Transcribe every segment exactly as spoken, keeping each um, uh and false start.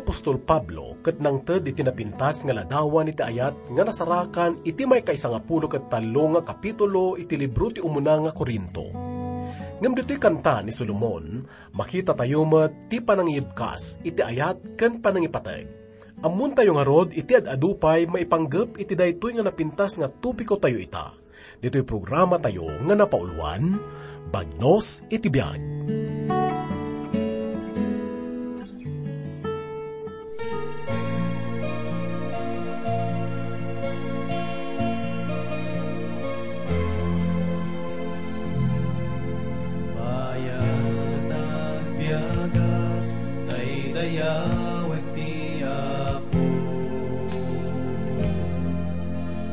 apostol Pablo ket nangted iti napintas nga ladawan iti ayat nga nasarakan iti maikaisangapulo ket tallo nga kapitulo iti libro ti umuna nga Corinto. Ngem ditoy kanta ni Solomon, makitatayo met ti panangibkas iti ayat ken panangipateg. Ammontayo ngarud iti ad-adu pay maipanggep iti daytoy nga napintas nga topiko tayo ita. Ditoy programa tayo nga napauluan, Bagnos iti Biag. Payat agbiaga, daydayawek ti Apo.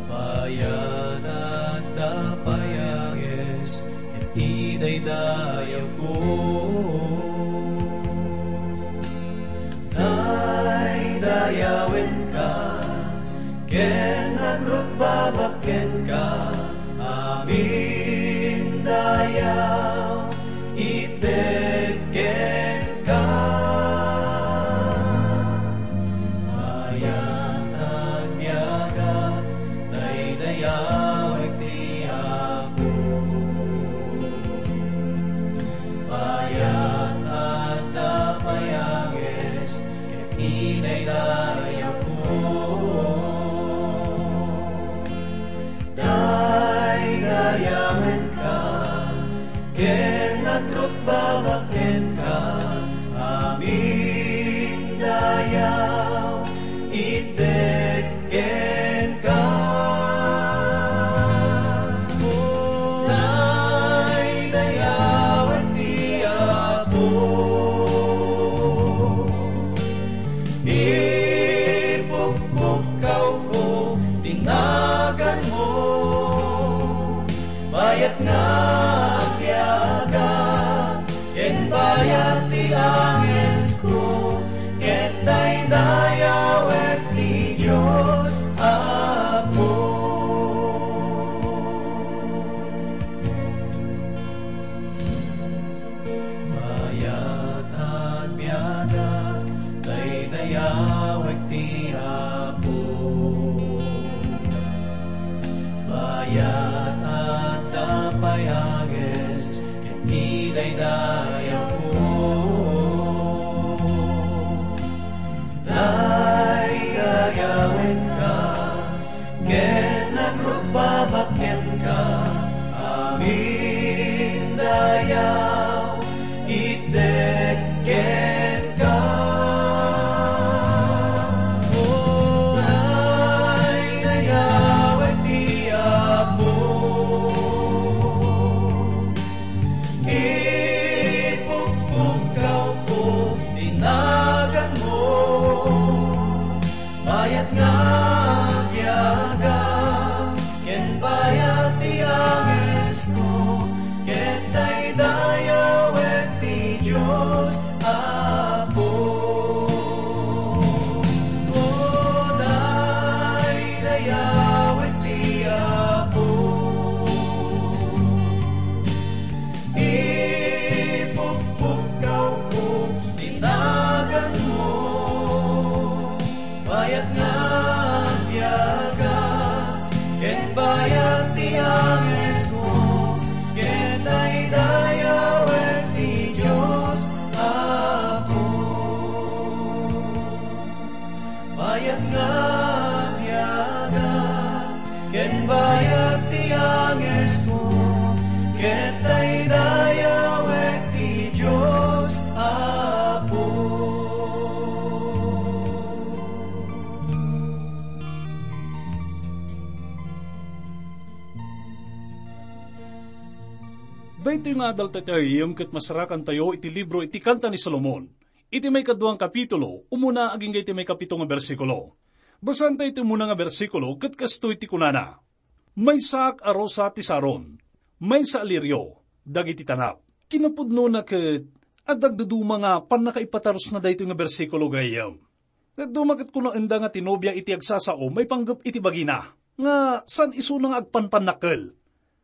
Payat adda payages, ket idaydayawko. Daydayawenka, ken agrukbabak kenka, amin dayaw, itedkenka. Mayat agbiaga, daydayawek ti Apo. Mayat adda payages, ket idaydayawko. Daydayawenka, ken agrukbabak kenka, amin dayaw, itedkenka. Daydayawen ti Apo. Ipukpukkawko ti naganmo, bayat nga agbiaga, ken bayat ti angesko, ket daydayawek ti Dios Apo. Mayat agbiaga, daydayawek ti Apo. Mayat adda payages, ket idaydayawko. Daydayawenka, ken agrukbabak kenka, amin dayaw, itedkenka. O, daydayawek ti Apo. Ipukpukkawko ti naganmo, bayat nga agbiaga, ken bayat ti angesko, ket daydayawek ti Dios Apo. O, daydayawek ti Apo. Ipukpukkawko ti naganmo, bayat nga agbiaga, ken bayat ti angesko, ket daydayawek ti Dios Apo. Bayat nga agbiaga, ken bayat ti angesko, ket daydayawek ti Dios Apo. Daytoy nga adal tayo, ket masarakantayo iti libro iti Kanta ni Solomon. Iti maikadua nga kapitulo, umuna agingga iti maikapito nga bersikulo. Basaentayo iti umuna nga bersikulo, ket kastoy ti kunana, "Maysaak a rosa ti Saron, maysa a lirio dagiti tanap." Kinapudnona ket adda agduduma nga pannakaipatarusna daytoy nga bersikulo, gayyem. Dadduma ket kunaenda nga ti nobia iti agsasao maipanggep iti bagina, nga saan isuna nga agpanpannakkel.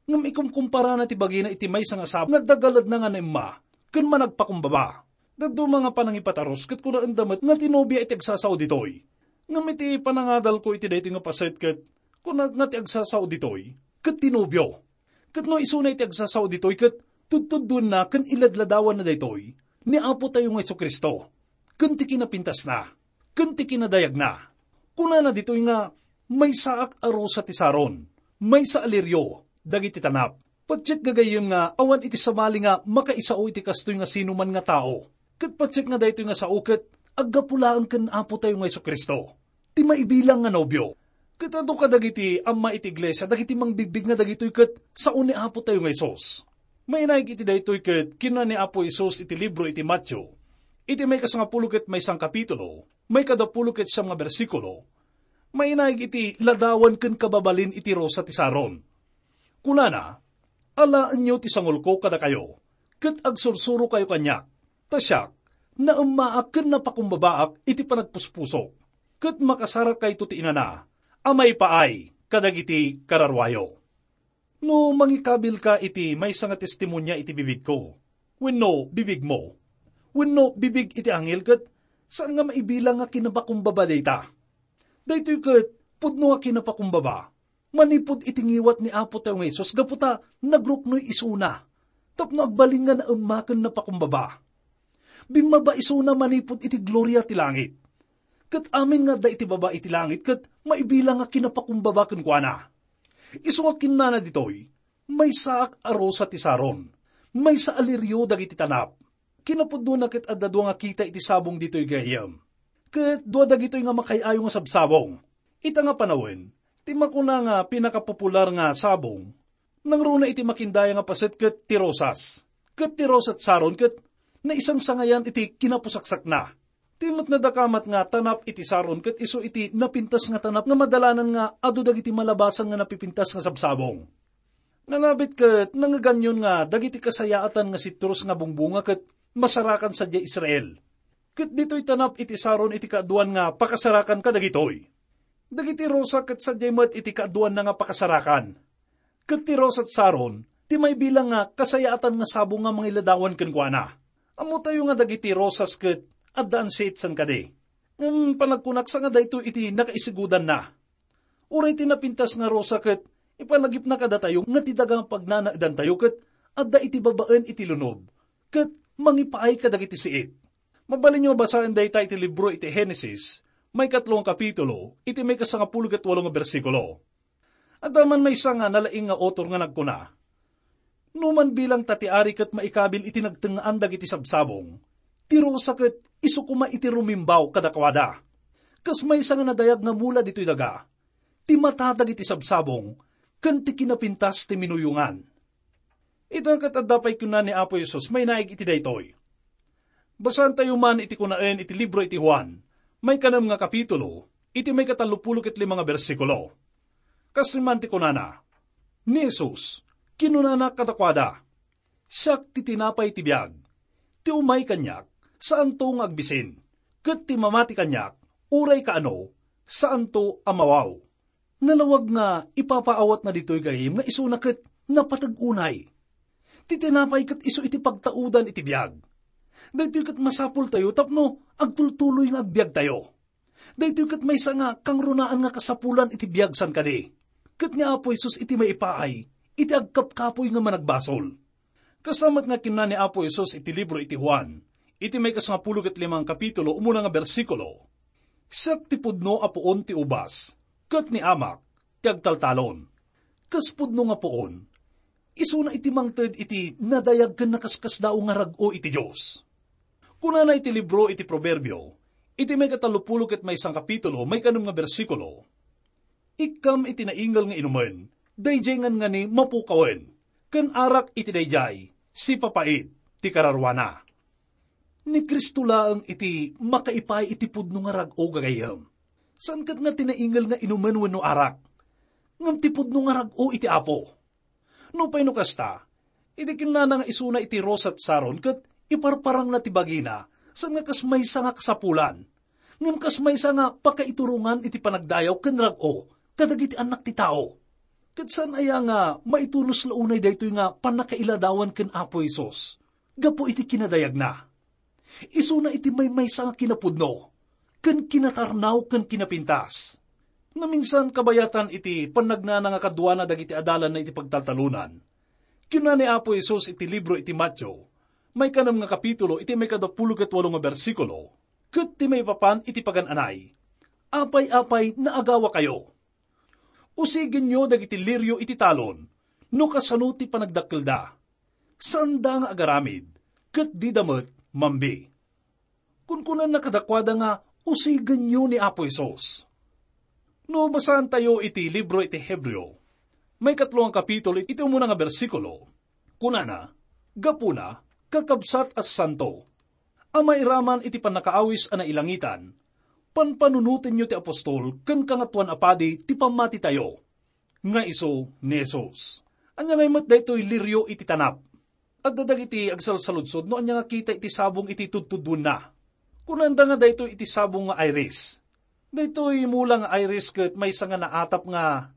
Ngem ikumkumparana ti bagina iti maysa nga sabong nga adda galedna nga naimma ken managpakumbaba. Dadduma nga panangipatarus ket kunaenda met nga ti nobia iti agsasao ditoy. Ngem iti panangadalko iti daytoy nga paset ket kunak nga ti agsasao ditoy ket ti nobio. Ket no isuna iti agsasao ditoy ket tudtudduenna ken iladladawanna daytoy ni Apotayo nga Jesu-Cristo, ken ti kinapintasna, ken ti kinadayagna. Kunana ditoy nga, "Maysaak a rosa ti Saron, maysa a lirio dagiti tanap." Patiek gagayyem nga awan iti sabali nga makaisao iti kastoy nga sinuman nga tao. Ket patiek nga daytoy nga sao ket aggapu laeng ken Apotayo nga Jesu-Cristo, ti maibilang nga nobio. Ket adu kadagiti amma iti iglesia dagiti mangbigbig nga dagitoy ket sao ni Apotayo nga Jesus. Mainaig iti daytoy ket kinuna ni Apo Jesus iti libro iti Mateo, iti maikasangapulo ket maysa nga kapitulo, maikadapulo ket siam nga bersikulo, mainaig iti ladawan ken kababalin iti rosa ti Saron. Kunana, "Alaenyo ti sangulko kadakayo, ket agsursurokayo kaniak, ta siak, naemmaak ken napakumbabaak iti panagpuspusok, ket makasarakayto ti inana a maipaay kadagiti kararuayo." No mangikabilka iti maysa nga testimonia iti bibigko, wenno bibigmo, wenno bibig iti anghel ket saan nga maibilang nga kinapakumbaba dayta. Daytoy ket pudno nga kinapakumbaba manipud iti ngiwat ni Apotayo nga Jesus gapu ta nagruknoy isuna tapno agbalin nga naemma ken napakumbaba. Bimmaba isuna manipud iti gloria ti langit. Ket amin nga adda iti baba iti langit ket maibilang nga kinapakumbaba kenkuana. Isu nga kinnana ditoy, "Maysaak a rosa ti Saron, maysa a lirio dagiti tanap." Kinapudnona ket adda dua nga kita iti sabong ditoy gayyem. Ket dua dagitoy nga makaay-ayo nga sabsabong. Ita nga panawen, ti makuna nga pinakapopular nga sabong, nangruna iti makindaya nga paset ket ti rosas. Ket ti rosas Saron ket naisangsangayan iti kinapusaksakna. Ti met nadakamat nga tanap iti Saron ket isu iti napintas nga tanap nga madalanan nga adu dagiti malabasan nga napipintas nga sabsabong. Nalabit ket nangngeganyon nga dagiti kasayaatan nga sitrus nga bungbunga ket masarakan sadiay Israel. Ket ditoy tanap iti Saron iti kaaduan nga pakasarakan kadagitoy. Dagiti rosa ket sadiay met iti kaaduanna nga pakasarakan. Ket ti rosas Saron ti maibilang nga kasayaatan nga sabong nga mangiladawan kenkuana. Ammotayo nga dagiti rosas ket adda ansiit san kadi. Ngem panagkunak sa nga daytoy iti nakaisigudanna. Uray ti napintas nga rosa ket ipalagipna kadatayo nga ti daga nga pagnanaedantayo ket adda iti babaen iti lunod ket mangipaay kadagiti siit. Mabalinyo a basaen dayta iti libro iti Genesis, maikatlo nga kapitulo, iti maikasangapulo ket walo nga bersikulo. Adda man maysa nga nalaing nga author nga nagkuna, "No man bilang ta ti ari ket maikabil iti nagtengngaan dagiti sabsabong, ti rosa ket isu koma iti rumimbaw kadakuada. Kas maysa nga nadayag nga mula ditoy daga, ti mata dagiti sabsabong ken ti kinapintas ti minuyongan." Ita ket adda pay kuna ni Apo Jesus mainaig iti daytoy. Basaentayo man iti kunaen iti libro iti Juan, maikanem nga kapitulo, iti maikatallopulo ket lima nga bersikulo. Kastoy man ti kunana, ni Jesus, kinunana kadakuada, "Siak ti tinapay ti biag. Ti umay kaniak, saanto nga agbisin, ket ti mamati kaniak, uray kaano, saanto a mawaw." Nalawag nga ipapaawatna ditoy gayyem nga isuna ket napateg unay. Ti tinapay ket isu iti pagtaudan iti biag. Daytoy ket masapultayo tapno agtultuloy nga agbiagtayo. Daytoy ket maysa nga kangrunaan nga kasapulan iti biag san kadi. Ket ni Apo Jesus iti maipaay iti agkapkapoy nga managbasol. Kasamet nga kinuna ni Apo Jesus iti libro iti Juan, iti maikasangapulo ket lima nga kapitulo, umuna nga bersikulo, "Siak ti pudno a puon ti ubas, ket ni Amak ti agtaltalon." Kas pudno nga puon, isuna iti mangted iti nadayag ken nakaskasdaaw nga rag-o iti Dios. Kunana iti libro iti Proverbio, iti maikatallopulo ket maysa nga kapitulo, maikanem nga bersikulo, "Ikkam iti naingel nga inumen, daydiay ngan ngani mapukawen, ken arak iti daydiay, sipapait ti kararuana." Ni Cristo laeng iti makaipaay iti pudno nga rag-o, gagayyem. Saan ket nga ti naingel nga inumen wenno arak, ngem ti pudno nga rag-o iti Apo. Nupay no kasta, iti kinnana nga isuna iti rosat Saron ket iparparangna ti bagina, saan nga kas maysa nga kasapulan, ngem kas maysa nga pakaiturongan iti panagdayaw ken rag-o kadagiti annak ti tao. Ket saan aya nga maitunos la unay daytoy nga pannakailadawan ken Apo Jesus gapu iti kinadayagna? Isuna iti maymaysa nga kinapudno, ken kinatarnaw ken kinapintas. Naminsan kabayatan iti pannagnana nga kaduana dagiti adalanna iti pagtaltalonan. Kinuna ni Apo Jesus iti libro iti Mateo, maikanem nga kapitulo iti maikadapulo ket walo nga bersikulo, ket ti maipapan iti pagan-anay, apay-apay naagawakayo. Usigenyo dagiti lirio iti talon, no kasano ti panagdakkelda. Saanda nga agaramid, ket dida met mambi. Kunkunana kadakuada nga usigenyo ni Apo Jesus. No basaantayo iti libro iti Hebreo, maikatlo nga kapitulo iti umuna nga bersikulo, kunana, gapuna, kakabsat a santo, a mairaman iti pannakaawis a nailangitan, panpanunotenyo ti apostol ken Kangatoan a Padi ti pammatitayo, nga isu ni Jesus. Ania ngay met daytoy lirio iti tanap? Adda dagiti agsalsaludsod no ania nga kita iti sabong iti tudtuduenna. Kunanda nga daytoy iti sabong nga iris. Daytoy mula nga iris ket maysa nga naatap nga,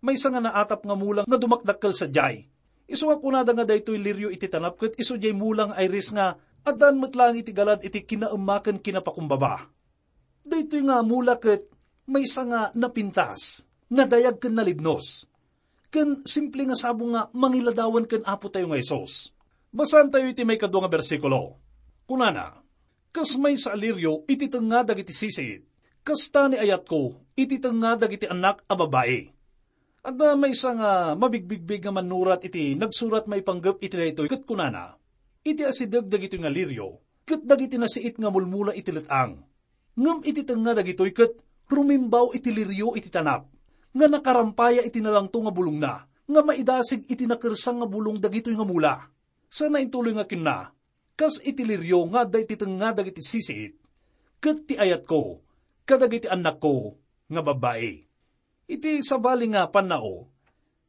maysa nga naatap nga mula nga dumakdakkel sadiay. Isu nga kunada nga daytoy lirio iti tanap ket isu diay mula nga iris nga addaan met laeng iti galad iti kinaemma ken kinapakumbaba. Daytoy nga mula ket maysa nga napintas, nadayag ken nalibnos. Ken simple nga sabong nga mangiladawan ken Apo tayo nga Jesus. Basaantayo iti maikadua nga bersikulo. Kunana, kas maysa a lirio iti tengnga dagiti sisiit, kasta ni ayatko iti tengnga dagiti annak a babbai. Adda maysa nga mabigbigbig nga mannurat iti nagsurat maipanggep iti daytoy ket kunana, iti asideg dagitoy nga lirio, ket dagiti nasiit nga mulmula iti let-ang. Ngem iti tengnga dagitoy ket rumimbaw iti lirio iti tanap, nga nakarampaya iti nalangto nga bulongna, nga maidasig iti nakersang nga bulong dagitoy nga mula. Sana intuloy nga kinuna, kas iti lirio nga adda iti tengnga dagiti sisiit, ket ti ayatko kadagiti annakko nga babbai. Iti sabali nga pannao,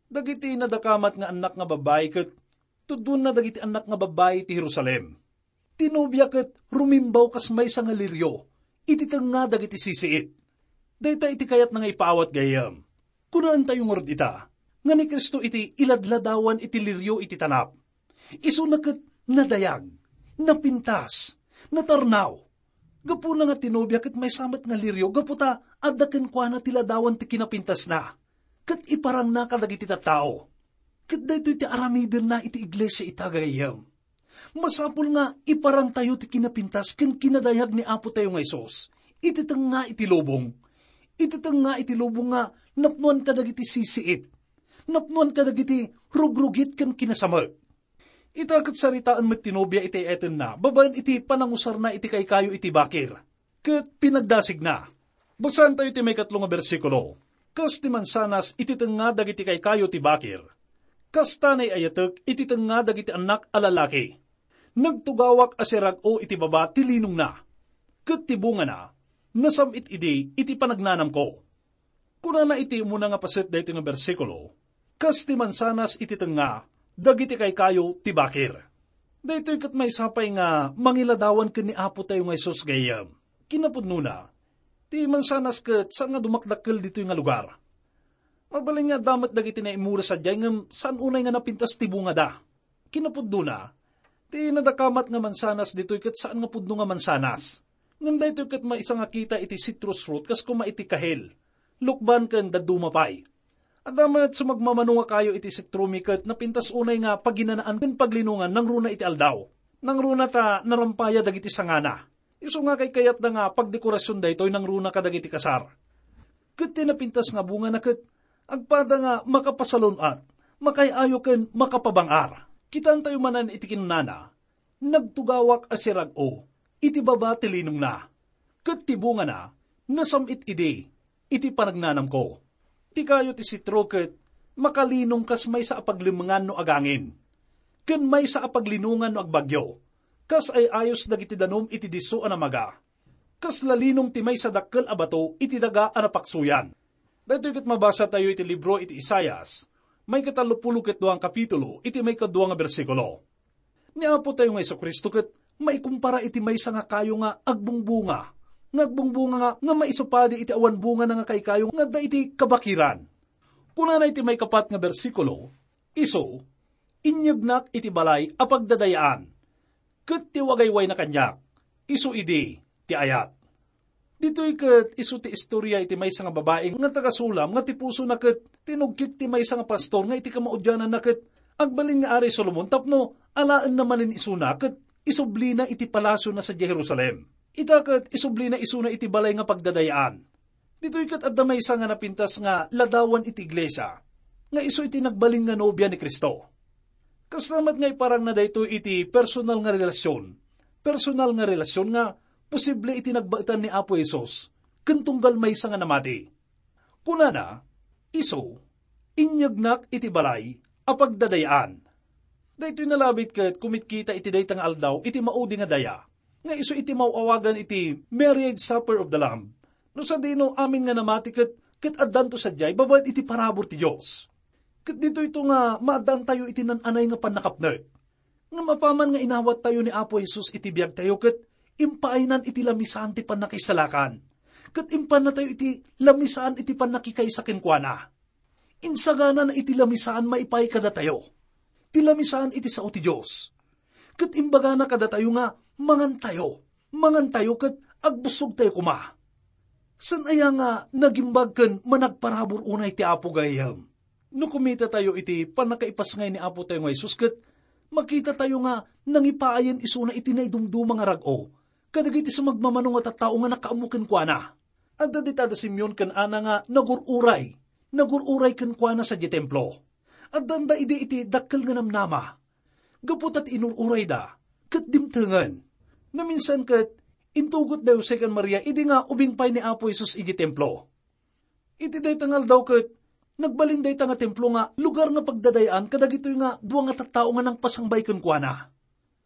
dagiti nadakamat nga annak nga babbai ket tudonna dagiti annak nga babbai ti Jerusalem. Ti nobia ket rumimbaw kas maysa nga lirio iti tengnga dagiti sisiit. Dayta iti kayatna nga ipaawat gayyem. Kunaentayo ngarud ita, nga ni Cristo iti iladladawan iti lirio iti tanap. Isuna ket nadayag, napintas, natarnaw. Gapuna nga ti nobia ket maysa met nga lirio gapu ta adda kenkuana ti ladawan ti kinapintasna, ket iparangna kadagiti tattao. Ket daytoy ti aramidenna iti iglesia ita, gayyem. Masapul nga iparangtayo ti kinapintas ken kinadayag ni Apo tayo nga Jesus iti tengnga iti lubong, iti tengnga iti lubong nga napnoan kadagiti sisiit, napnoan kadagiti rugrugit ken kinasamek. Ita ket saritaen met ti nobia iti ay-ayatenna babaen iti panangusarna iti kaykayo iti bakir ket pinagdasigna. Basaentayo ti maikatlo nga bersikulo. Kas ti mansanas iti tengnga dagiti kaykayo ti bakir, kasta nay-ayatek iti tengnga dagiti annak a lalaki. Nagtugawak a sirag-o iti baba ti linongna, ket ti bungana, nasam-it idi iti panagnanamko. Kunana iti umuna nga paset daytoy nga bersikulo, kas ti mansanas iti tengnga dagiti kaykayo ti bakir. Daytoy ket maysa pay nga mangiladawan ken ni Apo tayo nga Jesus gayyem. Kinapudnona, ti mansanas ket saan nga dumakdakkel ditoy nga lugar. Mabalin nga adda met dagiti naimura sadiay ngem saan unay nga napintas ti bungada. Kinapudnona, ti nadakamat nga mansanas ditoy ket saan nga pudno nga mansanas. Ngem daytoy ket maysa nga kita iti citrus fruit kas koma iti kahel, lukban ken dadduma pay. Adda met sumagmamano nga kayo iti sitrumi ket napintas unay nga paginanaan ken paglinongan nangruna iti aldaw. Nangruna ta narampaya dagiti sangana. Isu nga kaykayatda nga pagdekorasion daytoy nangruna kadagiti kasar. Ket ti napintas nga bungana ket agpada nga makapasalun-at, makaay-ayo ken makapabang-ar. Kitaentayo manen iti kinunana, "Nagtugawak a sirag-o iti baba ti linongna, ket ti bungana, nasam-it idi iti panagnanamko." Ti kayo ti sitro ket makalinong kas maysa a paglemmengan no agangin, ken maysa a paglinongan no agbagyo, kas ay-ayos dagiti danum iti disso a namaga. Kasla linong ti maysa dakkel a bato iti daga a napaksoyan. Daytoy ket mabasatayo iti libro iti Isaias, maikatallopulo ket dua nga kapitulo, iti maikadua nga bersikulo. Ni Apo tayo nga Jesu-Cristo ket maikumpara iti maysa nga kayo nga agbungbunga, nga agbungbunga nga, nga maisupadi iti awan bungana nga kaykayo nga adda iti kabakiran. Kunana iti maikapat nga bersikulo, "Isu, inyegnak iti balay a pagdadayaan, ket ti wagaywayna kaniak, Isu idi ti ayat. Ditoy ket isu ti istorya iti maysa nga babai nga taga-Sulam nga ti pusona ket tinugkit ti maysa nga pastor nga iti kamaudiananna ket agbalin nga Ari Solomon tapno alaenna manen isuna ket isublina iti palasiona sadiay Jerusalem. Ita ket isublina isuna iti balay nga pagdadayaan. Ditoy ket adda maysa nga napintas nga ladawan iti iglesia, nga isu iti nagbalin nga nobia ni Cristo. Kasla met nga iparangna daytoy iti personal nga relasyon. Personal nga relasyon nga posible iti nagbaetan ni Apo Jesus ken tunggal maysa nga namati. Kunana, isu, inyegnak iti balay a pagdadayaan. Daytoy nalabit ket kumitkita iti dayta nga aldaw iti maudi nga daya, nga isu iti maw-awagan iti marriage supper of the Lamb. No sadino amin nga namati ket, ket addanto sadiay babaen iti parabur ti Dios. Ket ditoyto nga maaddaantayo iti nan-anay nga pannakapnek. Ngem apaman nga inawattayo ni Apo Jesus iti biagtayo ket impaaynan iti lamisaan ti pannakaisalakan. Ket impannatayo iti lamisaan iti pannakikaysa kenkuana. Insaganana iti lamisaan maipaay kadatayo. Ti lamisaan iti sao ti Dios. Ket imbagana kadatayo nga mangantayo. Mangantayo ket agbussogtayo koma. Saan aya nga nagimbag ken managparabur unay ti Apo gayam? No kumitatayo iti pannakaipasngay ni Apo tayo nga Jesus ket makitatayo nga nangipaayen isuna iti naidumduma nga rag-o kadagiti sumagmamano nga tattao nga nakaammo kenkuana. Adda dita da Simeon ken Ana nga nagur-uray. Nagur-uray kenkuana sadiay templo. Addanda idi iti dakkel nga namnama. Gapu ta ti inur-urayda, ket dimtengen. Naminsan ket, intugot da Jose ken Maria idi nga ubing pay ni Apo Jesus iti templo. Iti dayta nga aldaw ket, nagbalin dayta nga templo nga lugar nga pagdadayaan kadagitoy nga dua nga tattao nga nangpasangbay kenkuana.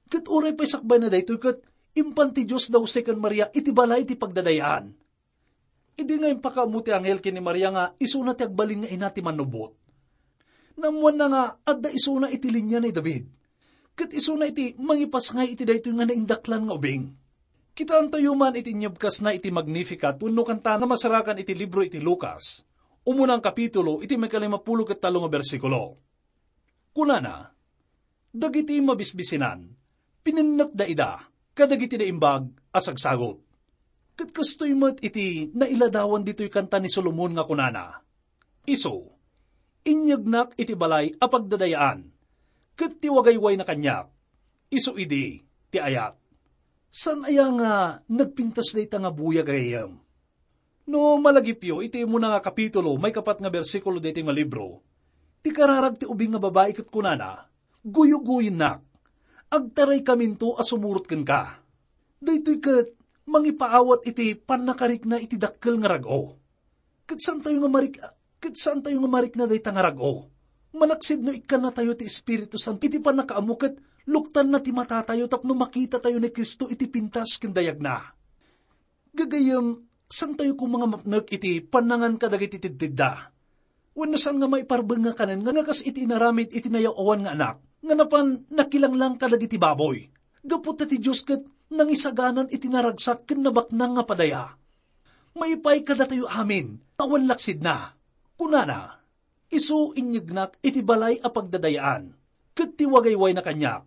Ket uray pay sakbayna daytoy ket, impan ti Dios da Jose ken Maria iti balay ti pagdadayaan. Idi nga impakaammo ti anghel ken ni Maria nga isuna ti agbalin nga ina ti Mannubbot. Naammoanna nga adda isuna iti linia ni David. Ket isuna iti mangipasngay iti daytoy nga naindaklan nga ubing. Kitaentayo man iti inyebkasna iti Magnificat wenno kanta nga masarakan iti libro iti Lucas, umuna nga kapitulo iti maikalimapulo ket tallo nga bersikulo. Kunana, dagiti mabisbisinan, pinennekda ida kadagiti naimbag a sagsagut. Ket kastoy met iti nailadawan ditoy kanta ni Solomon nga kunana, "Isu, inyegnak iti balay a pagdadayaan, ket ti wagaywayna kaniak, isu idi ti ayat." Saan aya nga nagpintas dayta nga buya gayam? No malagipyo iti umuna nga kapitulo, maikapat nga bersikulo daytoy nga libro, ti kararag ti ubing nga babai ket kunana, "Guyugoyennak, agtaraykaminto a sumurot kenka." Daytoy ket mangipaawat iti pannakarikna iti dakkel nga rag-o. Ket saantayo nga marik-, ket saantayo nga marikna dayta nga rag-o. Malaksid no ikkannatayo ti Espiritu Santo iti pannakaammo ket luktanna ti matatayo tapno makitatayo ni Cristo iti pintas ken dayagna. Gagayyem, saantayo koma nga mapnek iti pannangan kadagiti tidtidda. Wenno saan nga maiparbeng nga kanen nga, nga kas iti inaramid iti nayaw-awan nga anak, nga napan nakilanglang kadagiti baboy. Gapu ta ti Dios ket nangisaganan iti naragsak ken nabaknang nga padaya. Maipaay kadatayo amin, awan laksidna. Kunana, "Isu inyegnak iti balay a pagdadayaan, ket ti wagaywayna kaniak,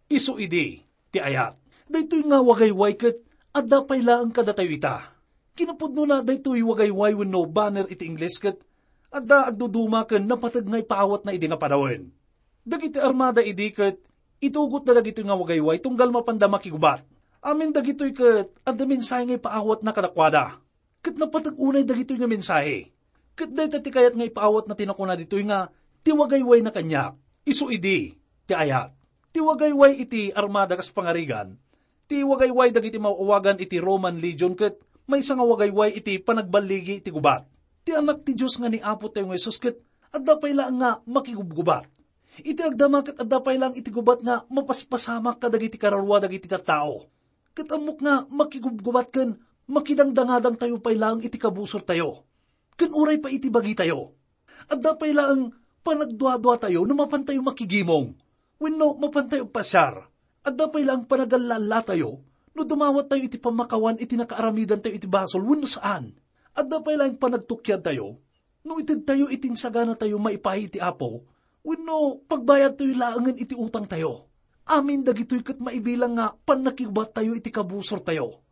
isu idi ti ayat." Daytoy nga wagayway ket adda pay laeng kadatayo ita. Kinapudnona, daytoy wagayway wenno banner iti Ingles ket adda agduduma ken napateg nga ipaawatna idi nga panawen. Dagiti armada idi ket itugotda dagitoy nga wagayway tunggal mapanda makigubat. Amin dagitoy ket adda mensahe nga ipaawatna kadakuada. Ket napateg unay dagitoy nga mensahe. Ket dayta ti kayat nga ipaawatna ti nakuna ditoy nga, "Ti wagaywayna kaniak, isu idi ti ayat." Ti wagayway iti armada kas pangarigan, ti wagayway dagiti maw-awagan iti Roman Legion ket maysa nga wagayway iti panagballigi iti gubat. Ti Anak ti Dios nga ni Apo tayo nga Jesus ket adda pay laeng nga makigubgubat. Iti agdama ket adda pay laeng iti gubat nga mapaspasamak kadagiti kararua dagiti tattao. Ket ammok nga makigubgubat ken makidangdangadangtayo pay laeng iti kabusortayo, ken uray pay iti bagitayo. Adda pay laeng panagduaduatayo no mapantayo makigimong wenno mapantayo agpasiar. Adda pay laeng panagallallatayo no dumawattayo iti pammakawan iti nakaaramidantayo iti basol wenno saan. Adda pay laeng panagtukiadtayo no itedtayo iti insaganatayo maipaay iti Apo wenno pagbayadtayo laengen iti utangtayo. Amin dagitoy ket maibilang nga pannakigubattayo iti kabusortayo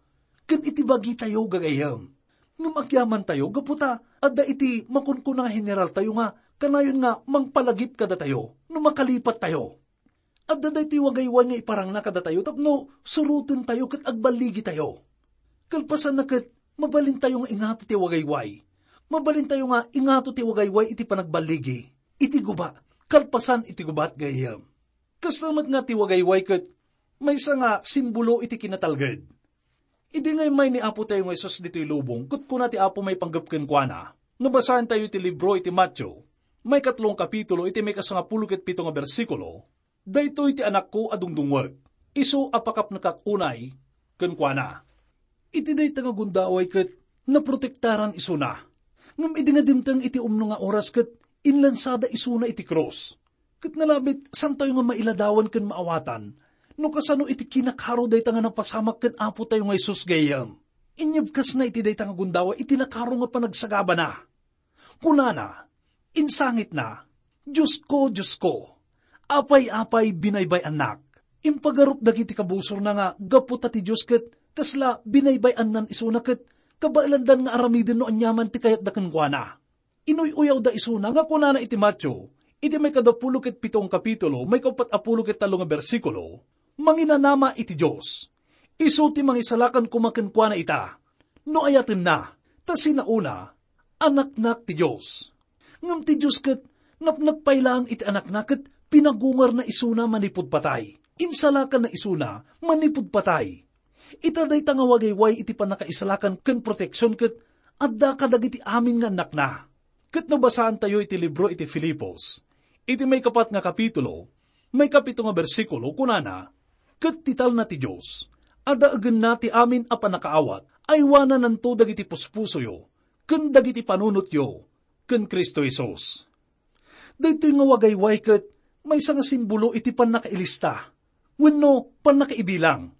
ken iti bagitayo, gagayyem. Ngem agyamantayo gapu ta adda iti makunkuna nga heneraltayo nga kanayon nga mangpalagip kadatayo no makalipattayo. Adda daytoy wagayway nga iparangna kadatayo tapno surotentayo ket agballigitayo. Kalpasanna ket, mabalintayo nga ingato ti wagayway. Mabalintayo nga ingato ti wagayway iti panagballigi, iti guba, kalpasan iti gubat, gayyem. Kasta met nga ti wagayway ket maysa nga simbolo iti kinatalged. Idi nga immay ni Apo tayo nga Jesus ditoy lubong, ket kuna ti Apo maipanggep kenkuana, no basaentayo iti libro iti Mateo, maikatlo nga kapitulo, iti maikasangapulo ket pito nga bersikulo, "Daytoy ti Anakko a dungdungngeg, isu a pakapnekak unay kenkuana." Iti dayta nga gundaway ket naprotektaran isuna. Ngem idi nga dimteng iti umno nga oras ket inlansada isuna iti krus. Ket nalabit, santayo nga mailadawan ken maawatan no kasano iti kinakaro dayta nga napasamak ken Apo tayo nga Jesus, gayyem. Inyebkasna iti dayta nga gundaway iti nakaro nga panagsagabana. Kunana, insangitna, "Diosko, Diosko, apay-apay binaybay-annak?" Impagarup dagiti kabusorna nga gapu ta ti Dios ket kasla binaybay-annan isuna ket kabaelandan nga aramiden no aniaman ti kayatda kenkuana. Inuy-uyawda isuna nga kunana iti Mateo, iti maikadapulo ket pito nga kapitulo, maikauppat a pulo ket tallo nga bersikulo, "Manginanama iti Dios. Isu ti mangisalakan koma kenkuana ita, no ayatenna, ta sinaona, anaknak ti Dios." Ngem ti Dios ket napnekpay laeng iti anakna ket pinagungarna isuna manipud patay. Insalakanna isuna manipud patay. Ita dayta nga wagayway iti pannakaisalakan ken proteksion ket adda kadagiti amin nga annakna. Ket no basaantayo iti libro iti Filipos, iti maikapat nga kapitulo, maikapito nga bersikulo, kunana, "Ket ti talna ti Dios, a daegenna ti amin a pannakaawat, aywanananto dagiti puspusoyo ken dagiti panunotyo ken Cristo Jesus." Daytoy nga wagayway ket maysa nga simbolo iti pannakailista wenno pannakaibilang.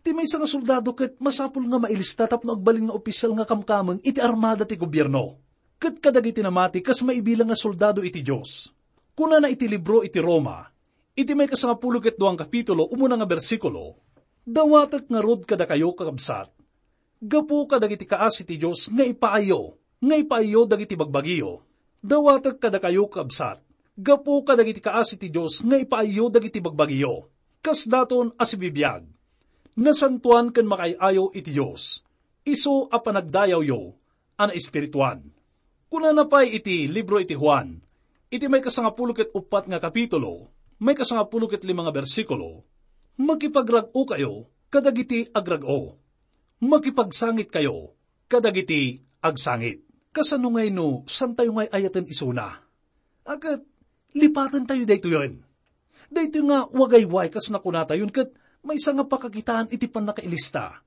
Ti maysa nga soldado ket masapul nga mailista tapno agbalin nga opisyal nga kamkameng iti armada ti gobierno. Ket kadagiti namati kas maibilang nga soldado iti Dios. Kunana iti libro iti Roma, iti maikasangapulo ket dua nga kapitulo, umuna nga bersikulo, "Dawatek ngarud kadakayo, kakabsat, gapu kadagiti kaasi ti Dios nga ipaayyo, nga ipaayyo dagiti bagbagiyo. Dawatek kadakayo, kabsat, gapu kadagiti kaasi ti Dios nga ipaayyo dagiti bagbagiyo. Kasdaton a sibibiag, nasantoan ken makaay-ayo iti Dios, isu a panagdayawyo a naespirituan." Kunana pay iti libro iti Juan, iti maikasangapulo ket uppat nga kapitulo, maikasangapulo ket lima nga bersikulo, "Makipagrag-okayo kadagiti agrag-o. Makipagsangitkayo kadagiti agsangit." Kasano ngay no santayo ngay ayaten isuna? Aket, lipatentayo daytoyen. Daytoy nga wagayway kas nakunatayon ket maysa nga pakakitaan iti pannakailista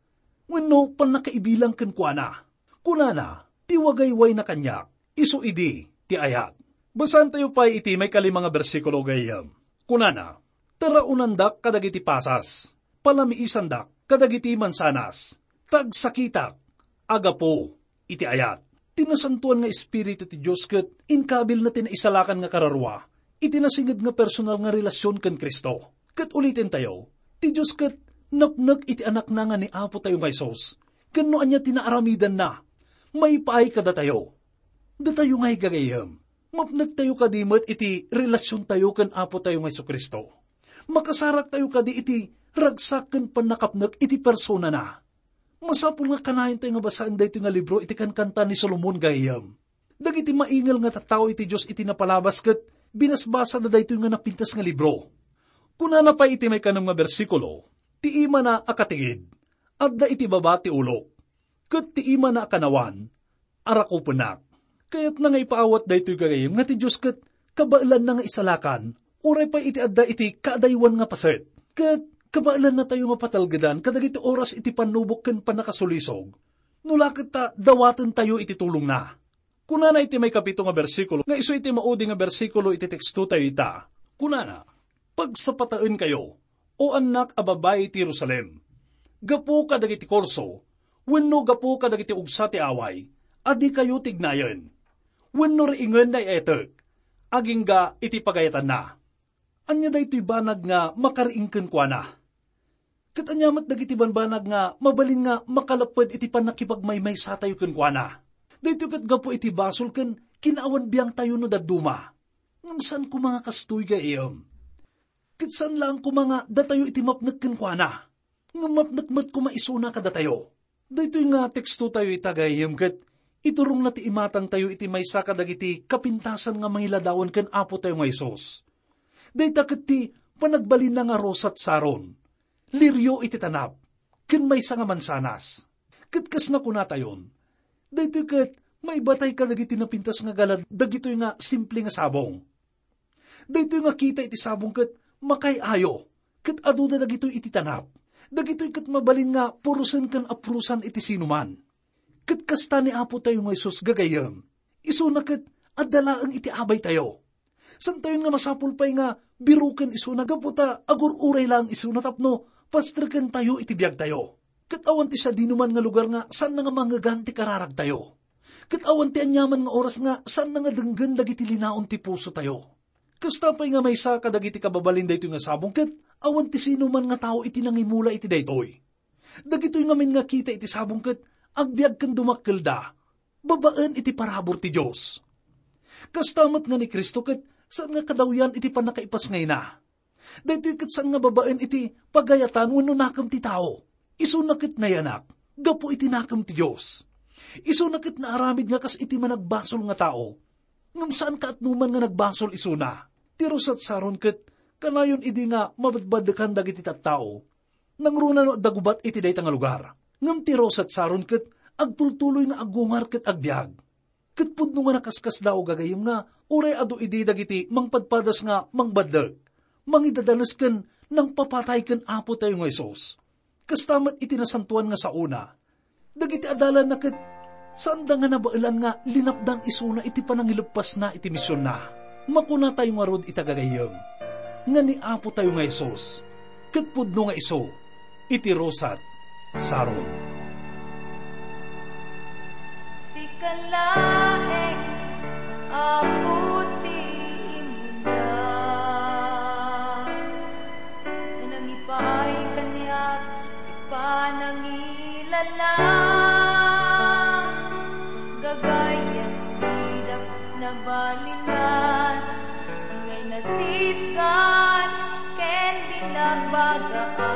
wenno pannakaibilang kenkuana. Kunana, "Ti wagaywayna kaniak, isu idi ti ayat." Basaantayo pay iti maikalima nga bersikulo, gayyem. Kunana, "Taraonandak kadagiti pasas, palamiisandak kadagiti mansanas, ta agsakitak a gapu iti ayat." Ti Nasantoan nga Espiritu ti Dios ket inkabilna ti naisalakan nga kararua iti nasinged nga personal nga relasion ken Cristo. Ket ulitentayo, ti Dios ket napnek iti Anakna nga ni Apo tayo nga Jesus, ken no ania ti naaramidanna, maipaay kadatayo. Datayo nga igagayyem, mapnektayo kadi met iti relasiontayo ken Apo tayo nga Jesu-Cristo. Makasaraktayo kadi iti ragsak ken pannakapnek iti personana. Masapul nga kanayontayo nga basaen daytoy nga libro iti Kankanta ni Solomon, gayyem. Dagiti maingel nga tattao iti Dios iti napalabas ket binasbasada daytoy nga napintas nga libro. Kunana pay iti maikanem nga bersikulo, "Ti imana a katigid, adda iti baba ti ulok, ket ti imana a kanawan, arakupennak." Kayatna nga ipaawat daytoy gagayyem nga ti Dios ket kabaelanna nga isalakan, uray pay iti adda iti kaadaywan nga paset. Ket kabaelannatayo nga patalgedan kadagiti oras iti pannubok ken pannakasulisog, no la ket ta dawatentayo iti tulongna. Kunana iti maikapito nga bersikulo, nga isu iti maudi nga bersikulo iti tekstotayo ita. Kunana, "Pagsapataenkayo, O annak a babai ti Jerusalem, gapu kadagiti kurso, wenno gapu kadagiti ugsa ti away, a dikayo tignayen, wenno riingen nga ietek, agingga iti pagayatanna." Ania daytoy banag nga makariing kenkuana? Ket ania met dagiti banbanag nga mabalin nga makalapped iti pannakipagmaymaysatayo kenkuana? Daytoy ket gapu iti basol ken kinaawan biangtayo no dadduma. Ngem saan koma nga kastoy, gayyem. Ket saan laeng koma nga datayo iti mapnek kenkuana, ngem mapnek met koma isuna kadatayo. Daytoy nga tekstotayo ita, gayyem, ket iturongna ti imatangtayo iti maysa kadagiti kapintasan nga mangiladawan ken Apotayo nga Jesus. Dayta ket ti panagbalinna nga rosat Saron, lirio iti tanap, ken maysa nga mansanas. Ket kas nakunatayon, daytoy ket maibatay kadagiti napintas nga galad dagitoy nga simple nga sabong. Daytoy nga kita iti sabong ket makaay-ayo, ket aduda dagitoy iti tanap. Dagitoy ket mabalin nga purosen ken apurosan iti sinuman. Ket kasta ni Apotayo nga Jesus, gagayyem, isuna ket adda laeng iti abaytayo. Santayon nga masapul pay nga biroken isuna gapu ta agur-uray laeng isuna tapno pastrekentayo iti biagtayo. Ket awan ti sadinoman nga lugar nga saanna nga mangngegan ti kararagtayo. Ket awan ti aniaman nga oras nga saanna nga denggen dagiti linaon ti pusotayo. Kasta pay nga maysa kadagiti kababalin daytoy nga sabong ket awan ti sinuman nga tao iti nangimula iti daytoy. Dagitoy ngamin nga kita iti sabong ket agbiag ken dumakkelda babaen iti parabur ti Dios. Kasta met nga ni Cristo ket saan nga kadawyan iti pannakaipasngayna. Daytoy ket saan nga babaen iti pagayatan wenno nakem ti tao. Isuna ket nayanak gapu iti nakem ti Dios. Isuna ket naaramid nga kas iti managbasol nga tao. Ngem saan kaatnoman nga nagbasol isuna. Ti rosat Saron ket kanayon idi nga mabadbadekan dagiti tattao. Nangruna no adda gubat iti dayta nga lugar. Ngem ti rosat Saron ket agtultuloy nga aggungar ket agbiag. Ket pudno nga nakaskasdaaw, gagayyem, nga uray adu idi dagiti mangpadpadas nga mangbaddek, mangidadanes ken nangpapatay ken Apotayo nga Jesus. Kasta met iti nasantoan nga saona. Dagiti adalanna ket saanda nga nabaelan nga linapdan isuna iti panangileppasna iti misionna. Makunatayo ngarud ita, gagayyem, nga ni Apotayo nga Jesus ket pudno nga isu iti rosat Saron. Sika laeng, Apo, ti imuna. Nangipaay kaniak ti panangilala. Gagayyem, didak nabalinan, ngay nasitgan ken binagbagaan.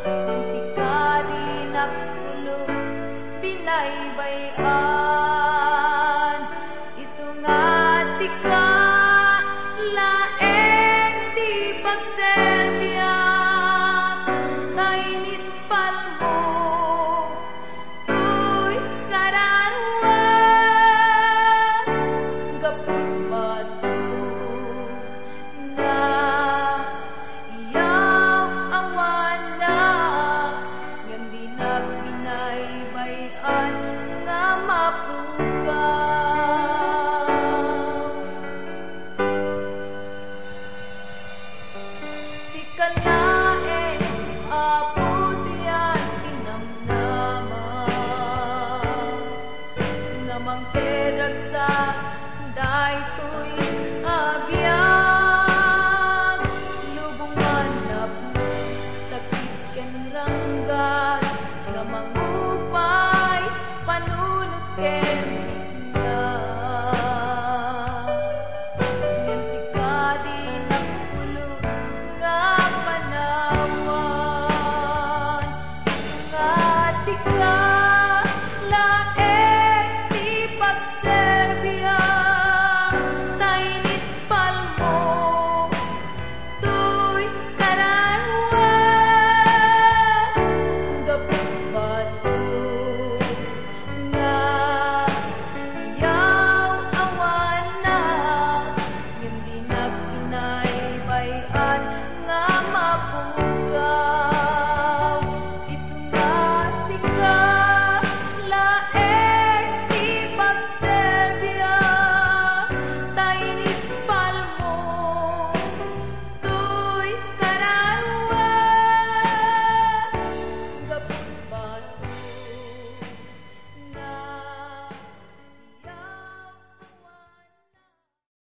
Ngem sika dinak pulos binaybay-an. Isu nga sika laeng ti pagserbiak, ta inispalmo toy kararuak. Gapu